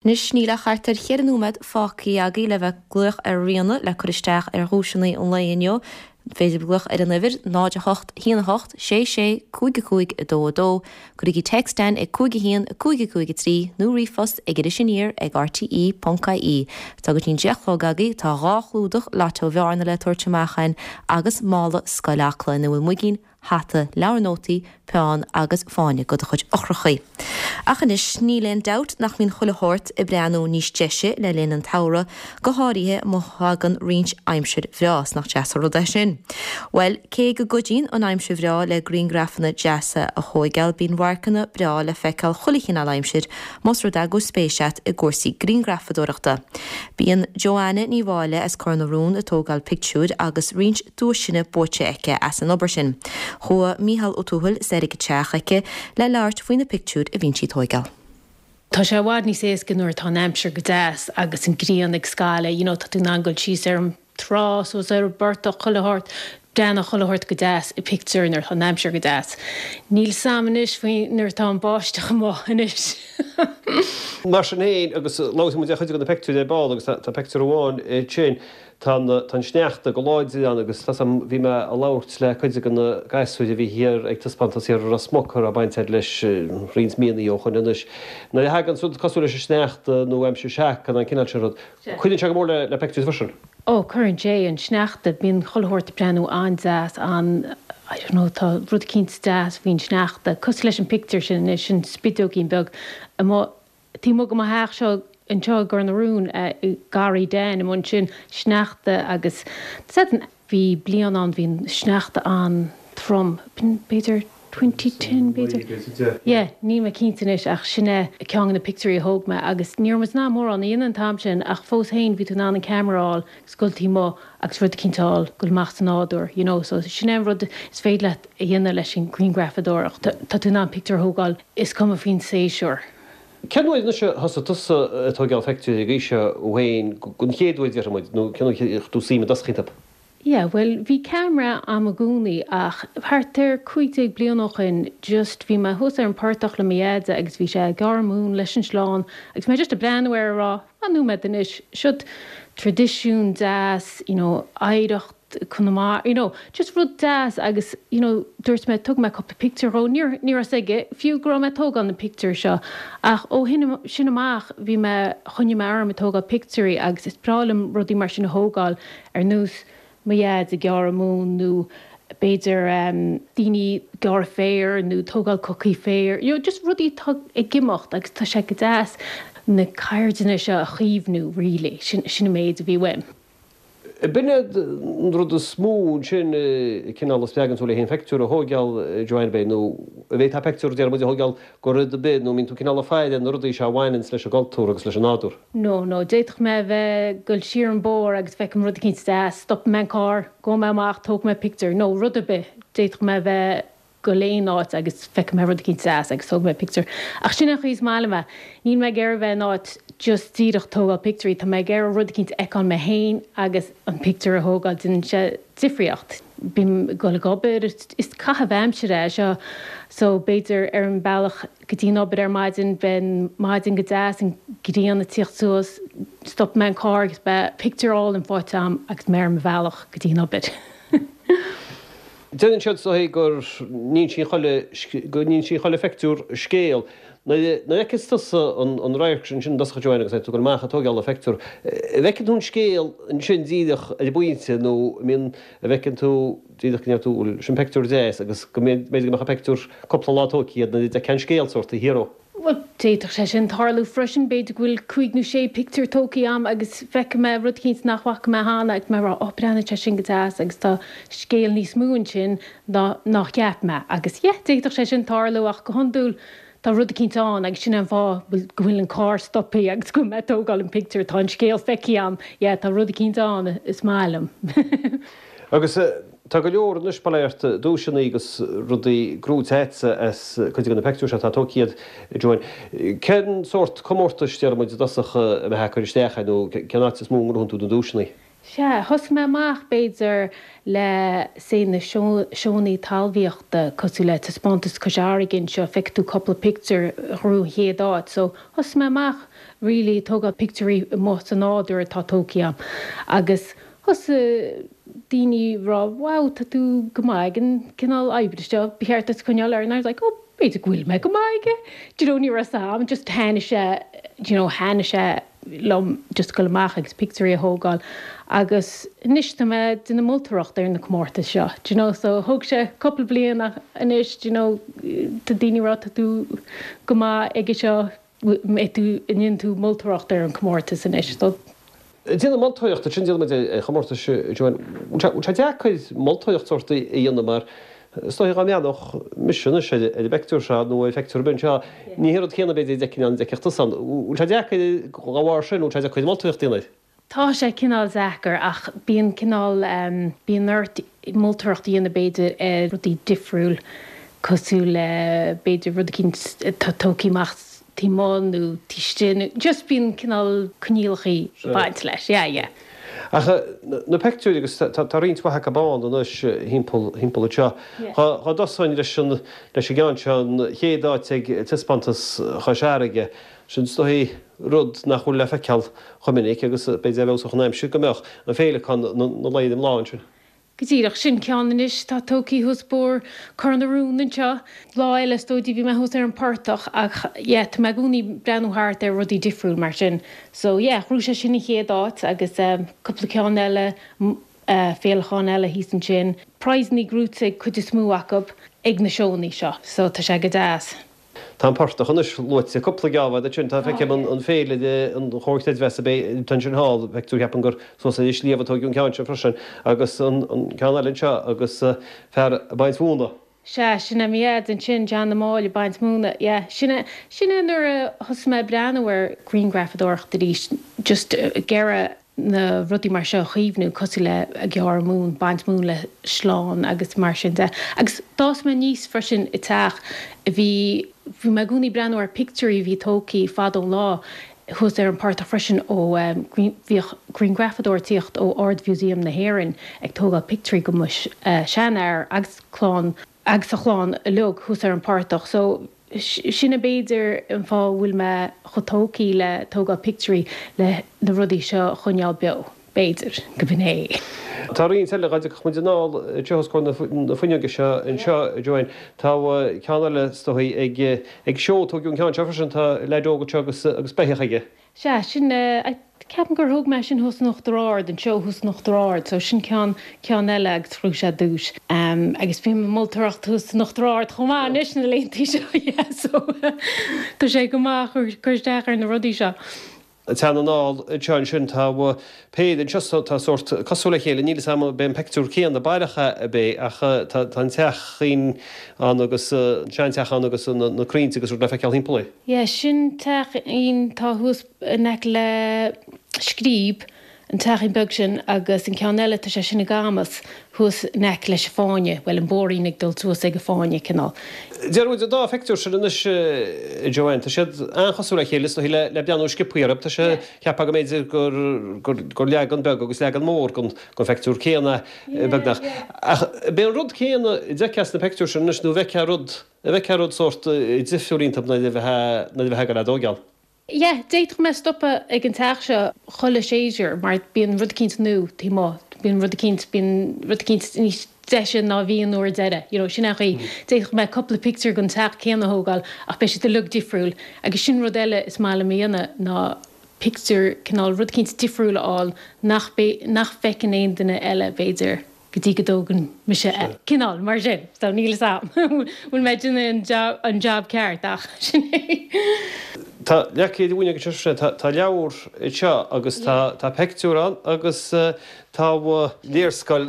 Anois níl ach thart ar cheithre nóiméad fágtha agaibh le bheith ag glaoch ar Ríona le cur isteach ar dhuaiseanna an lae inniu. Is féidir glaoch ar an uimhir, 0 8 1 8 6 6 5 5 2 2. Cuirigí text againn ag 5 1 5 5 3 nó ríomhphost ag Iris Aniar ag rte ponc ie. Tá go dtí an 10 a chlog agaibh, tá dhá chlúdach Lotto Bhearna le tabhairt amach againn agus mála Scoil Acla ina bhfuil muigín, hata, leabhar nótaí, peann agus fáinne do do chuid eochrachaí. Ach anois, níl aon dabht nach mbíonn chuile shórt ag breathnú níos deise le linn an tsamhraidh, go háirithe má thagann roinnt aimsir bhreá, 's nach deas an rud é sin? Bhuel, cé go gcuidíonn an aimsir bhreá le grianghrafanna deasa a thóigeáil, bíonn radharcanna breá le feiceáil chuile chineál aimsir, más rud é go bhfuil spéis a't i gcúrsaí grianghrafadóireachta. Bíonn Joanna Ní Mháille as Cor na Rón ag tógáil pictiúir agus roinnt duaiseanna buaite aici as an obair sin. Chuaigh Mícheál Ó Tuathail soir ag a teach aici le labhairt faoi na pictiúir a bhíonn sí ag tóigeáil. Tá sé i bhfad níos éasca nuair atá an aimsir go deas agus an grian ag scaladh, you know, tá tú in ann dul síos ar an trá, suas ar an bportach, chuile shórt, breathnaíonn chuile shórt go deas i pictiúr nuair atá an aimsir go deas. Níl 's a'm anois faoi nuair atá an báisteach amuigh anois. Mar sin féin, agus labhróidh muid ar chuid de na pictiúir ar ball agus tá pictiúr amháin ansin, Tá an, tá an sneachta go láidir ann agus tá 's a'm, bhí mé a' labhairt le cuid de na gasúir a bhí thiar ag taispeántas thiar i Ros Muc a raibh baint a'd leis roinnt míonnaí ó shoin anois. Nuair a thagann rud cosúil leis an sneachta nó aimsir seaca nó an cineál sin rud, cuireann sé go mór le, le pictiúir freisin. Ó, cuireann sé, an sneachta, bíonn chuile shórt ag breathnú an-deas, an, I don't know, tá rud eicínt deas faoin sneachta, cosúil leis an pictiúr sin anois, an spideoigín beag amuigh Taobh amuigh de mo theach seo anseo i gCor na Rún, i ngarraí Dan amuigh ansin, sneachta agus bhí bliain ann bhí an sneachta an-trom, b'fhéidir 2010 b'fhéidir? Yeah, níl mé cinnte anois ach sin é ceann de na pictiúirí a thóg mé agus ní raibh muid in ann mórán a dhéanamh an t-am sin ach fós féin bhí tú in ann an ceamara a fháil agus dul taobh amuigh agus rud eicínt a fháil, dul amach sa nádúr, you know, so sin é an rud is féidir leat a dhéanamh leis an ghrianghrafadóireacht, tá tú in ann pictiúr a thógáil, is cuma faoin séasúr. Cén uair anois a thosaigh tusa ag tóigeáil pictiúirí ag aois seo thú féin, den chéad uair déarfaidh muid, nó cén uair a chuir tú suim i dtosach iontu? Yeah, bhuel bhí ceamara a'm i gcónaí ach thart ar 15 bliain ó shoin just bhí mé thuas ar an portach le mo dheaide agus bhí sé ag gearradh móin leis an sleán agus mé just ag breathnú air ag rá fan nóiméad anois, siod traidisiún deas, you know, oidhreacht Conamara, you know, just rud deas agus, you know, dúirt mé, tógfaidh mé cúpla pictiúr dhó, ní raibh, ní raibh 'fhios aige fiú go raibh mé ag tógáil na pictiúir seo ach ó shin, sin amach bhí mé, choinnigh mé orm ag tógáil pictiúirí agus is breá liom rudaí mar sin a thógáil ar nós mo dhaid ag gearradh móin nó b'fhéidir daoine ag gearradh féir nó tógáil cocaí féir, you know, just rudaí atá ag imeacht agus tá sé go deas na ceirdeanna seo a chaomhnú really, sin, sin an méid a bhí uaim. B'in é an rud is mó ansin, cineál a spreagann tú le haon phictiúr a thóigeáil, Joanne, ab é, nó an bhféadfá pictiúr, déarfaidh muid, a thóigeáil go rud ar bith, nó an mbíonn tú cineál ag faire na rudaí seo a bhaineanns leis an gcultúr agus leis an nádúr. No, no, d'fhéadfadh mé a bheith ag dul siar an bóthar agus feicim rud eicínt deas, stopfaidh mé an carr, gabhfaidh mé amach, tógfaidh mé pictiúr, nó rud ar bith, d'fhéadfadh mé a bheith dul aon áit agus feicfidh mé rud eicínt deas agus tógfaidh mé pictiúr. Ach sin an chaoi is maith liom é. Níl mé ag iarraidh bheith in áit just díreach tógáil pictiúirí, tá mé ag iarraidh rud eicínt a fheiceáil mé féin agus an pictiúr a thógáil, déanann sé difríocht. Bím ag dul ag obair, is caitheamh aimsire é seo so b'fhéidir ar an bealach go dtí an obair ar maidin, beidh an maidin go deas, an ghrian ag tíocht suas, stopfaidh mé an carr agus beidh pictiúr álainn faighte agam agus mé ar mo bhealach go dtí an obair. Deireann siad so go n-insíonn chuile, go n-insíonn chuile phictiúr scéal. Nuair a fheiceas tusa an radharc sin i dtosach a Joanne agus tú ag dul amach ag tóigeáil an phictiúr, an bhfeiceann tú an scéal ansin díreach ar an bpointe nó an mbíonn, an bhfeiceann tú díreach go ndeir tú bhuel sin pictiúr deas agus go mb'fhéidir go mbeadh an pictiúr cúpla lá tógtha nuair a d'fheicfeá an scéal sórt thiar ó. Bhuel, d'fhéadfadh sé sin tarlú freisin. B'fhéidir go bhfuil cúig nó sé pictiúr tógtha agam agus feicfidh mé rud eicínt nach bhfaca mé cheana agus mé ag rá, oh, breathnaíonn sé sin go deas agus tá scéal níos mó ansin ná ná cheap mé. Agus yeah, d'fhéadfadh sé sin tarlú ach go hiondúil tá rud eicínt ann agus sin é an fáth go bhfuil an carr stoptha agus go bhfuil mé ag tógáil an pictiúr, tá an scéal feicthe agam, yeah, tá rud eicínt ann is maith liom. Agus tá go leor anois, bail ó Dhia ort, duaiseanna agus rudaí gnóite agatsa as cuid de na peictiúir seo atá tógtha agat, Joanne. Cén sórt comórtais, déarfaidh muid, i dtosach, a mbeifeá ag cur isteach air nó cén áit is mó a ngnóthaíonn tú na duaiseanna? Sea, thosaigh mé amach, b'fhéidir, le, say, na seónnaí talmhaíochta, cosúil le Taispeántas Cois Fharraige anseo, feicfidh tú cúpla pictiúr a ghnóthaigh an chéad áit. So, thosaigh mé amach really ag tógáil pictiúirí amuigh sa nádúr atá tógtha agam. Agus thosaigh daoine ag rá, wow, tá tú go maith ag an cineál oibre seo, ba cheart duit coinneáil air. And I was like, oh, b'fhéidir go bhfuil mé go maith aige. Do you know, ní raibh a fhios agam, just thaitnigh sé, do you know, thaitnigh sé liom just goil amach agus pictiúirí a thógáil agus anois tá mé ag déanamh moltóireacht ar na comórtais seo, do you know, so thóg sé cúpla bliain ach anois, do you know, tá daoine ag rá tá tú go maith aige seo, mbeidh tú, an ndéanann tú moltóireacht ar an comórtas anois, so. Déanamh moltóireachta, sin déanann muid ar chomórtais, Joanne. Bhfuil sé deacair moltóireacht sórt a dhéanamh mar is dóiche dá mbreathnódh mise anois ar an bpeictiúr seo nó ar phictiúr ar bith anseo, ní hé an rud céanna b'fhéidir a d'fheicfinn ann a d'fheicfeadh tusa ann. Bhfuil sé deacair dá bharr sin, bhfuil sé deacair moltóireacht a dhéanamh air? Tá sé cineál deacair ach bíonn cineál, bíonn ort moltóireacht a dhéanamh b'fhéidir ar rudaí difriúil cosúil le b'fhéidir rud eicínt atá tógtha amach taobh amuigh nó taobh istigh nó just bíonn cineál coinníollachaí ag baint leis, yeah, yeah. Ach na peictiúir agus tá roinnt mhaith acu ann anois thimpeall thimpeall anseo. Dá dtosóinn leis an leis an gceann seo, an chéad áit ag taispeántas Chois Fharraige, sin is dóichí rud nach bhfuil le feiceáil chomh minic agus b'fhéidir a bheadh an aimsir go mbeadh an féileacán na luí i mbláth ansin. Go díreach, sin ceann anois atá tógtha thuas Bóthar Cor na Rón anseo. Lá eile is dóigh bhí mé thuas ar an portach ach yeah tá mé i gcónaí ag breathnú thart ar rudaí difriúil mar sin. So yeah ghnóthaigh sé sin an chéad áit agus cúpla ceann eile, féileacáin eile thíos ansin. Prizannaí gnóthaithe ag cuid is mó acu ag na seónnaí seo so tá sé go deas. Tá an portach anois luaite cúpla geábh ansin. Tá, feicim an féilire, an Chomhar Creidmheasa, b'é, tá ansin thall, feictear, ceapaim gur suas ar an sliabh a tóigeadh an ceann seo freisin, agus an ceann eile anseo agus fear ag baint mhóna. Sea, sin é mo dhaid ansin, John na Máille ag baint móna, yeah. Sin é, sin é nuair a thosaigh mé ag breathnú ar grianghrafadóireacht arís, just ag iarraidh na rudaí mar seo a chaomhnú, cosúil le ag gearradh móin, baint móin le sleán agus mar sin de. Agus d'fhás mé aníos freisin i teach a bhí, bhí mé i gcónaí ag breathnú ar pictiúirí a bhí tógtha fadó an lá thuas ar an portach freisin ó bhíodh grianghrafadóir ag tíocht ó Ard-Mhúsaem na hÉireann ag tógáil pictiúirí go mo sheanfhear agus clann agus a chlann uilig thuas ar an portach. So sin é b'fhéidir an fáth a bhfuil mé chomh tógtha le tógáil pictiúirí le na rudaí seo a choinneáil beo, b'fhéidir, go b'in é. Tá roinnt eile, dá dtiocfadh muid anall anseo os comhair na fuinneoige seo anseo, Joanne, tá ceann eile is dóigh ag ag seó, tógadh an ceann seo freisin, tá leaid óg anseo agus agus beithíoch aige. Sea, sin, ceapaim gur thóg mé sin thuas in Uachtar Ard, an seó thuas in Uachtar Ard, so sin ceann, ceann eile agus ghnóthaigh sé duais. Agus bím ag moltóireacht thuas in Uachtar Ard chomh maith anois na laethanta seo, yeah, so tá sé go maith cur isteach ar na rudaí seo. Teann anall anseo ansin tá péire anseo tá sórt cosúil le chéile, níl 'fhios a'm ab é an peictiúr céanna baileach é ab é ach tá an teachín ann agus an seanteach ann agus na crainnte agus rud le feiceáil thimpeall air. Yeah, sin teachín atá thuas in aice le Scríb, an teachín beag sin, agus an ceann eile, tá sé sin i gCamas, thuas in aice leis an fáinne, bhuel, an bóithrín ag dul suas ag an fáinne, cineál. Déarfaidh muid an dá phictiúr sin anois, a Joanne, tá siad an-chosúil le chéile, is dóigh le, le breathnú sciobthaí orthu, tá sé, cheapfá go mb'fhéidir gur, gur, gur leagan beag agus leagan mór den, den phictiúr céanna, beagnach. Ach b'é an rud céanna a d'fheicfeá sna pictiúir sin anois nó an bhfeicfeá rud, An bhfeicfeá rud sórt difriúil iontu nuair a bheifeá ag gabháil á dtógáil. Yeah, d'fhéadfadh mé stopadh ag an teach seo chuile séasúr mar bíonn rud eicínt nua taobh amuigh, bíonn rud eicínt, bíonn rud eicínt níos deise ná a bhí an uair deiridh, you know, sin é an chaoi. D'fhéadfadh mé cúpla pictiúr den teach céanna a thógáil ach beidh siad uilig difriúil agus sin rud eile is maith liom a dhéanamh ná pictiúr, cineál rud eicínt difriúil a fháil nach, nach bhfeiceann aon duine eile b'fhéidir. go dtí go dtógann mise é. Cineál mar sin. So níl 'fhios a'm bhfuil mé ag déanamh an job ceart ach sin é. Tá leac ar an bhfuinneog anseo freisin. Tá tá leabhar anseo agus tá tá peictiúr ann agus tá léarscáil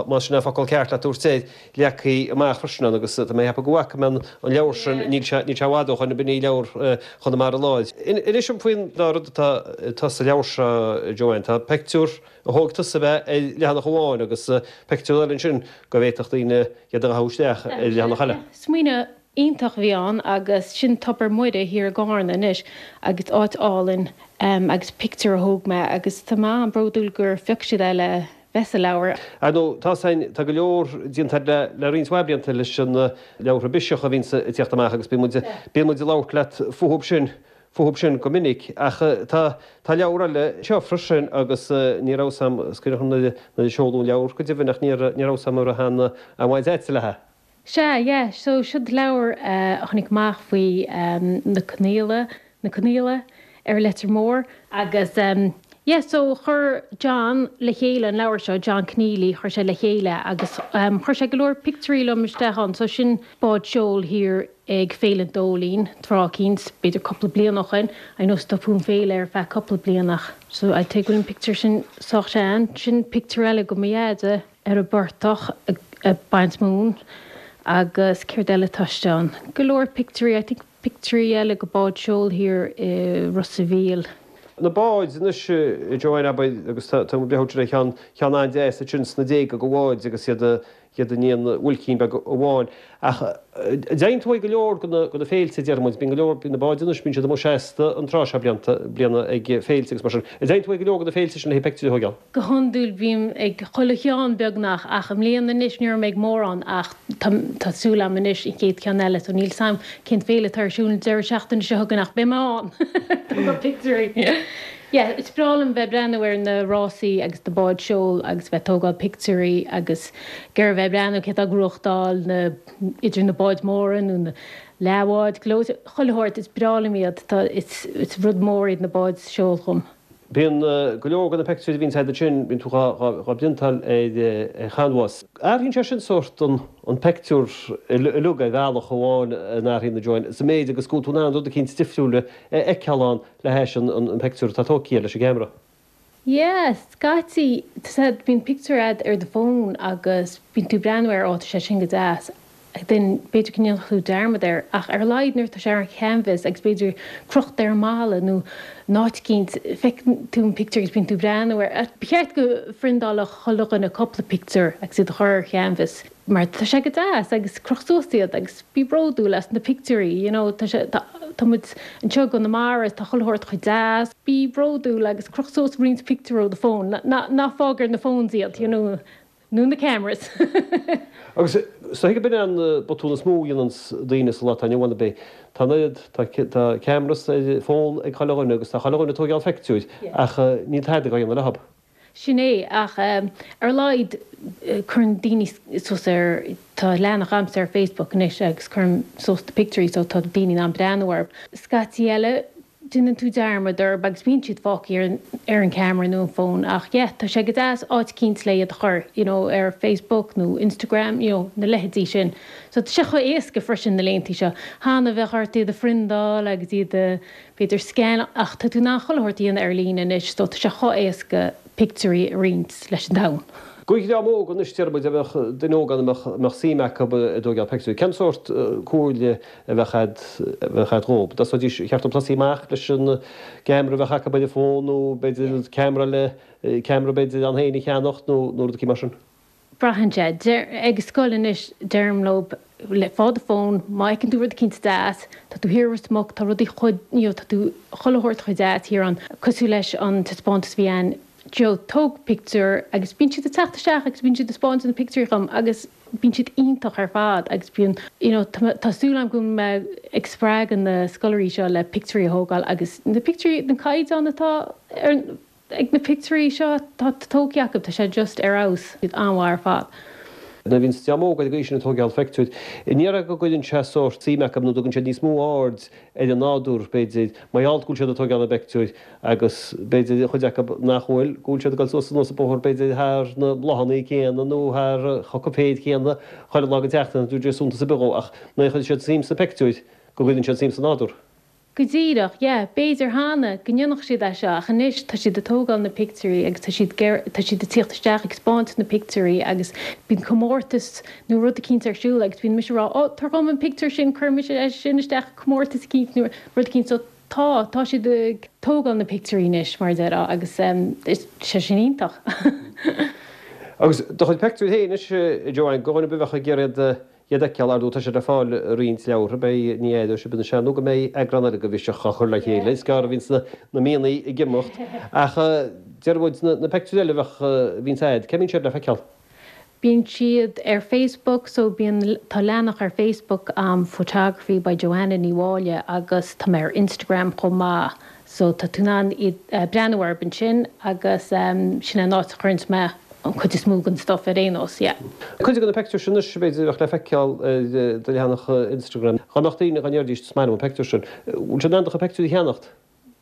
más sin an focal ceart le tabhairt air, leagtha amach freisin ann agus tá mé ag ceapadh go bhfaca mé an leabhar sin, níl sé níl sé i bhfad ó shoin, b'in í leabhar Chonamara Láir. Inis dom faoin dá rud atá atá sa leabhar seo Joanne. Tá peictiúr a thóg tusa ab ea ar leathanach amháin agus peictiúr eile ansin go bhféadfadh daoine iad a dhathú isteach ar leathanach eile. Smaoineamh. Iontach a bhí ann agus sin Tobar Muire thiar i gCarna anois agus áit álainn agus pictiúr a thóg mé agus tá mé an-bhródúil gur phioc siad é le bheith sa leabhar. Ar ndóigh, tá sain, tá go leor déanta agat le, le roinnt mhaith blianta leis an leabhartha Biseach a bhíonns ag tíocht amach agus bíonn muid, bíonn muid ag labhairt leat fúthub sin, fúthub sin go minic. Ach tá, tá leabhar eile anseo freisin agus ní raibh 's a'm, is cuimhin liom nuair a, nuair a seoladh an leabhar go deimhin ach ní raibh, ní raibh 's a'm an raibh aon, aon bhaint a'dsa léithe. Sea, yeah, so siod leabhar a tháinig amach faoi na Conaola, na Conaola ar an Leitir Móir agus yeah, so chuir John le chéile an leabhar seo, John Conneely, chuir sé le chéile agus chuir sé go leor pictiúirí liom isteach ann, so sin bád seoil thiar ag Féile an Dóilín, tráth eicínt, b'fhéidir cúpla bliain ó shoin, I know stopadh an féile ar feadh cúpla bliain ach so I'd say go bhfuil an pictiúr sin sách sean, sin pictiúr eile go mo dheaide. ar an bportach ag baint móin agus céard eile atá istigh ann? Go leor pictiúirí, I think pictiúirí eile go bád seoil thiar i Ros a' Mhíl. Na báid anois a Joanne abair agus tá tá muid ag breathnú ar cheann cheann an-deas ansin sna déaga go bháid agus iad iad in aon bhuailcín beag amháin ach dtéann tú ag go leor go na go na féilte déarfaidh muid bíonn go leor bíonn na báid anois bíonn siad amuigh seasta an tráth seo blianta bliana ag féilte agus mar sin. An dtéann tú ag go leor go na féilte sin le haghaidh pictiúirí a thógáil? Go hiondúil bím ag chuile cheann beagnach ach i mbliana anois ní raibh mé ag mórán ach tá tá súil agam anois an chéad cheann eile so níl 's a'm cén féile atá ar siúl an deireadh seachtaine seo chugainn ach beidh mé ann! Tógáil pictiúirí. Yeah, is breá liom bheith breathnú ar na rásaí agus na báid seoil agus bheith tógáil pictiúirí agus ag iarraidh bheith breathnú cé atá ag gnóthachtáil na idir na báid mhóra nó na leathbháid, gleoite, chuile shórt, is breá liom iad, tá is is rud mór iad na báid seoil dhom. Bíonn go leor de na peictiúirí a bhíonns agat ansin, bíonn tú dhá bpriontáil ar chanbhás. Athraíonn sé sin sórt an peictiúr uilig ar bhealach amháin an athraíonn a Joanne, sa méid agus go bhfuil tú in ann rud eicínt difriúil a fheiceáil ann le hais an peictiúr atá tógtha leis an gceamara. Yeah, scaití, bíonn pictiúr a'd ar do fón agus bíonn tú ag breathnú air, ó tá sé sin go deas. then b'fhéidir go ndéanfadh tú dearmad air, ach ar a laghad nuair atá sé ar an chanvas agus b'fhéidir crochta ar an mballa nó in áit eicínt, feiceann tú an pictiúr agus bíonn tú ag breathnú air. Ba cheart go phriontáilfeadh chuile dhuine cúpla pictiúr agus iad a chur ar chanvas mar tá sé go deas agus croch suas iad agus bí bródúil as na pictiúirí, you know, tá sé, tá, tá muid anseo i gConamara, tá chuile shórt chomh deas, bí bródúil agus croch suas roinnt pictiúr ó do fón, ná, ná fág ar na phones iad, you know. Nó na cameras. Agus is dóigh gurb in é an botún is mó a dhéananns daoine sa lá atá inniu ann, ab é? Tá an oiread, tá, tá cameras ar fón ag chuile dhuine agus tá chuile dhuine ag tóigeáil phictiúir ach níl tada á dhéanamh leothab. Sin é, ach ar a laghad cuireann daoine suas ar, tá leathanach a'msa ar Facebook anois agus cuirim suas na pictiúirí so tá daoine in ann breathnú orthu. Scaití eile déanann tú dearmad orthu agus bíonn siad fágtha ar ar an camera nó an fón ach yeah tá sé go deas áit eicínt le iad a chur you know ar Facebook nó Instagram you know na leithéidí sin. So tá sé chomh éasca freisin na laethanta seo. Cheana bheadh ort iad a phriondáil agus iad a b'fhéidir scan ach tá tú in ann chuile shórt a dhéanamh ar líne anois so tá sé chomh éasca pictiúirí a roinnt leis an domhan. Do dhream óg anois déarfaidh muid a mbeadh duine óg ann a mbeadh suim acu i dtóigeáil peictiúirí. Cén sórt comhairle a bheadh a'd, a bheadh a'd dhób? Dtosóidís, cheart dóibh tosaí amach leis an gceamara a bheadh acu ar an bhfón nó b'fhéidir ceamara eile, ceamara b'fhéidir ann féin a cheannacht nó nó rud eicínt mar sin? Braitheann sé. Deir, ag scoil anois deirim leo, le, faigh do fón, má fheiceann tú rud eicínt deas, tá tú thiar i Ros Muc, tá rudaí chomh, you know, tá tú, chuile shórt chomh deas thiar ann, cosúil leis an taispeántas a bhí ann, you know, tóg pictiúr agus bíonn siad ag teacht isteach agus bíonn siad ag spáint na pictiúirí dhom agus bíonn siad iontach ar fad agus bíonn, you know, tá, tá súil agam go bhfuil mé ag spreagadh na scoláirí seo le pictiúirí a thógáil agus na pictiúirí, an caighdeán atá ar, ag na pictiúirí seo atá tógtha acu, tá sé just ar fheabhas, siad an-mhaith ar fad. Nuair a bhíonn dream óg ar an gcaoi sin ag tóigeáil pheictiúir, an ndéarfá go gcuireann sé sórt suim acu nó dtugann siad níos mó aird ar an nádúr, b'fhéidir, mar gheall go bhfuil siad ag tóigeáil na bpeictiúir agus b'fhéidir an chuid acu nach bhfuil, go bhfuil siad ag dul suas anuas an bóthar b'fhéidir thar na bláthanna céanna nó thar an choca féir chéanna chuile lá den tseachtain, nach dtabharfaidh sé suntas ar bith dhó ach nuair a chuireann siad suim sna peictiúir go gcuireann siad suim sa nádúr. Go díreach, yeah. B'fhéidir cheana go ndéanfadh siad é seo ach anois tá siad ag tógáil na pictiúirí agus tá siad tá siad ag tíocht isteach ag spáint na pictiúirí agus bíonn comórtas nó rud eicínt ar siúl agus bíonn mise ag rá oh tabhair dhom an pictiúr sin cuirfidh mise é sin isteach i comórtas eicínt nó rud eicínt so tá, tá siad ag tógáil na pictiúirí anois mar a déarfá agus is sé sin iontach. Agus do chuid pictiúir féin anois, Joanne, do dhuine ar bith a bheadh ag iarraidh iad a. iad a fheiceáil, ar ndóigh tá siad le fáil i roinnt leabhartha, beidh, ní aireoidh sibh anois nó go mbeidh eagrán eile de Bhiseach á chur le chéile, is gearr a bhíonns na míonna ag imeacht. Ach deir muid, na pictiúir eile a bheadh, a bhíonns a'd, cá mbíonn siad le feiceáil? Bíonn siad ar Facebook so bíonn, tá leathanach ar Facebook a'm Photography by Joanna Ní Mháille agus tá mé ar Instagram chomh maith so tá tú in ann iad, breathnú orthu ansin agus sin é an áit a chuireanns mé an cuid is mó den stuff ar aon nós, yeah. Cuid de na pictiúir sin anois b'fhéidir a bheadh le feiceáil ar do leathanach Instagram. Dá mbeadh daoine, dá ndéarfaidís is maith liom an pictiúr sin, bhfuil siad in ann do chuid pictiúirí a cheannacht?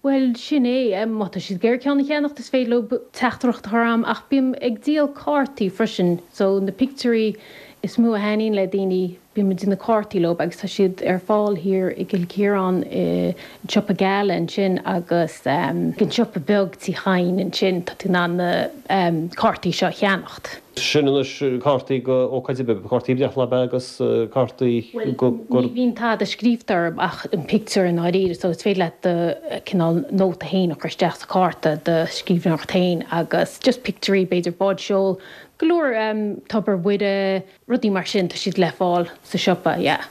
Bhuel, sin é. Má tá siad ag iarraidh ceann a cheannacht, is féidir leo teachtaireacht a chur a'm, ach bím ag díol cártaí freisin, so na pictiúirí is mó a thaitníonn le daoine, bím ag déanamh cártaí leo agus tá siad ar fáil thiar i gCill Chiaráin i an siopa Gala ansin agus an siopa beag Tí Chadhain ansin, tá tú in ann na cártaí seo a cheannacht. Sin anois cártaí go ócáid ar bith, cártaí breithlá ab ea agus cártaí go. Bhuel, ní bhíonn tada scríobhta orthu ach an pictiúr i ndáiríre, so is féidir leat do cineál nóta féin a chur isteach sa chárta, do scríbhneoireacht féin agus just pictiúirí, b'fhéidir bád seoil, go leor Tobar Mhuire, rudaí mar sin, tá siad le fáil sa siopa, yeah.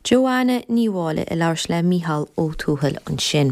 Joanna Ní Mháille ag labhairt le Mícheál Ó Tuathail ansin.